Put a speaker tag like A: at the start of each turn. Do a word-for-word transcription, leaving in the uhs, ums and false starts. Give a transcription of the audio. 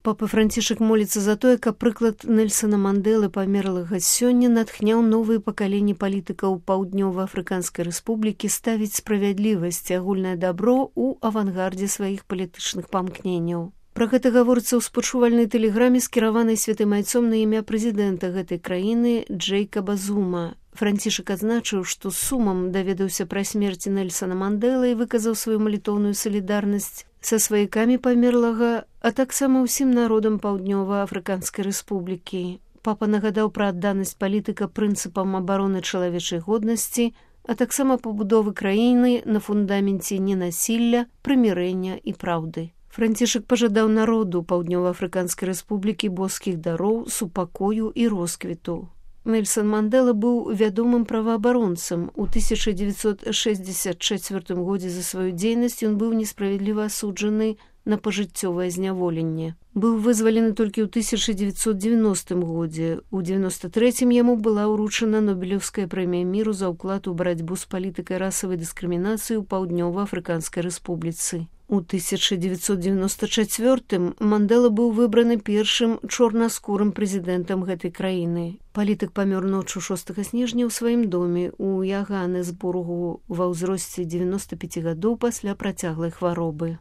A: Папа Францішак моліцца за тое, каб прыклад Нельсона Мандэлы памерлага сёння натхняў новыя пакаленні палітыкаў Паўднёва-Афрыканскай рэспублікі ставіць справядлівасць і агульнае дабро ў авангардзе сваіх палітычных памкненняў. Пра гэта гаворыцца ў спачувальнай тэлеграме, скіраванай святым айцом на імя прэзідэнта гэтай краіны Джэйкаба Зума. Францішак адзначыў, што з сумам даведаўся пра смерць Нельсона Мандэлы і выказаў сваю малітоўную салідарнасць са сваякамі памерлага, а таксама ўсім народам Паўднёва-Афрыканскай рэспублікі. Папа нагадаў пра адданасць палітыка прынцыпам абароны чалавечай годнасці, а таксама пабудовы краіны на фундаменце ненасілля, прымірэння і праўды. Францішак пажадаў народу Паўднёва-Афрыканскай рэспублікі боскіх дароў, супакою і росквіту. Нельсон Мандэла быў вядомым праваабаронцам. У тысяча дзевяцьсот шэсцьдзесят чацвёртым годзе за сваю дзейнасць ён быў несправядліва асуджаны на пажыццёвае зняволенне. Быў вызвалены толькі ў тысяча дзевяцьсот дзевяностым годзе. У дзевяноста трэцім яму была ўручана Нобелеўская прэмія міру за ўклад у барацьбу з палітыкай расавай дыскрымінацыі ў Паўднёва-Афрыканскай рэспубліцы. У тысяча дзевяцьсот девяносто чацвёртым Мандэла быў выбраны першым чорнаскурым прэзідэнтам гэтай краіны. Палітык памёр ноччу шостага снежня ў сваім доме ў Яганэсбургу ва ўзросце дзевяноста пяці гадоў пасля працяглай хваробы.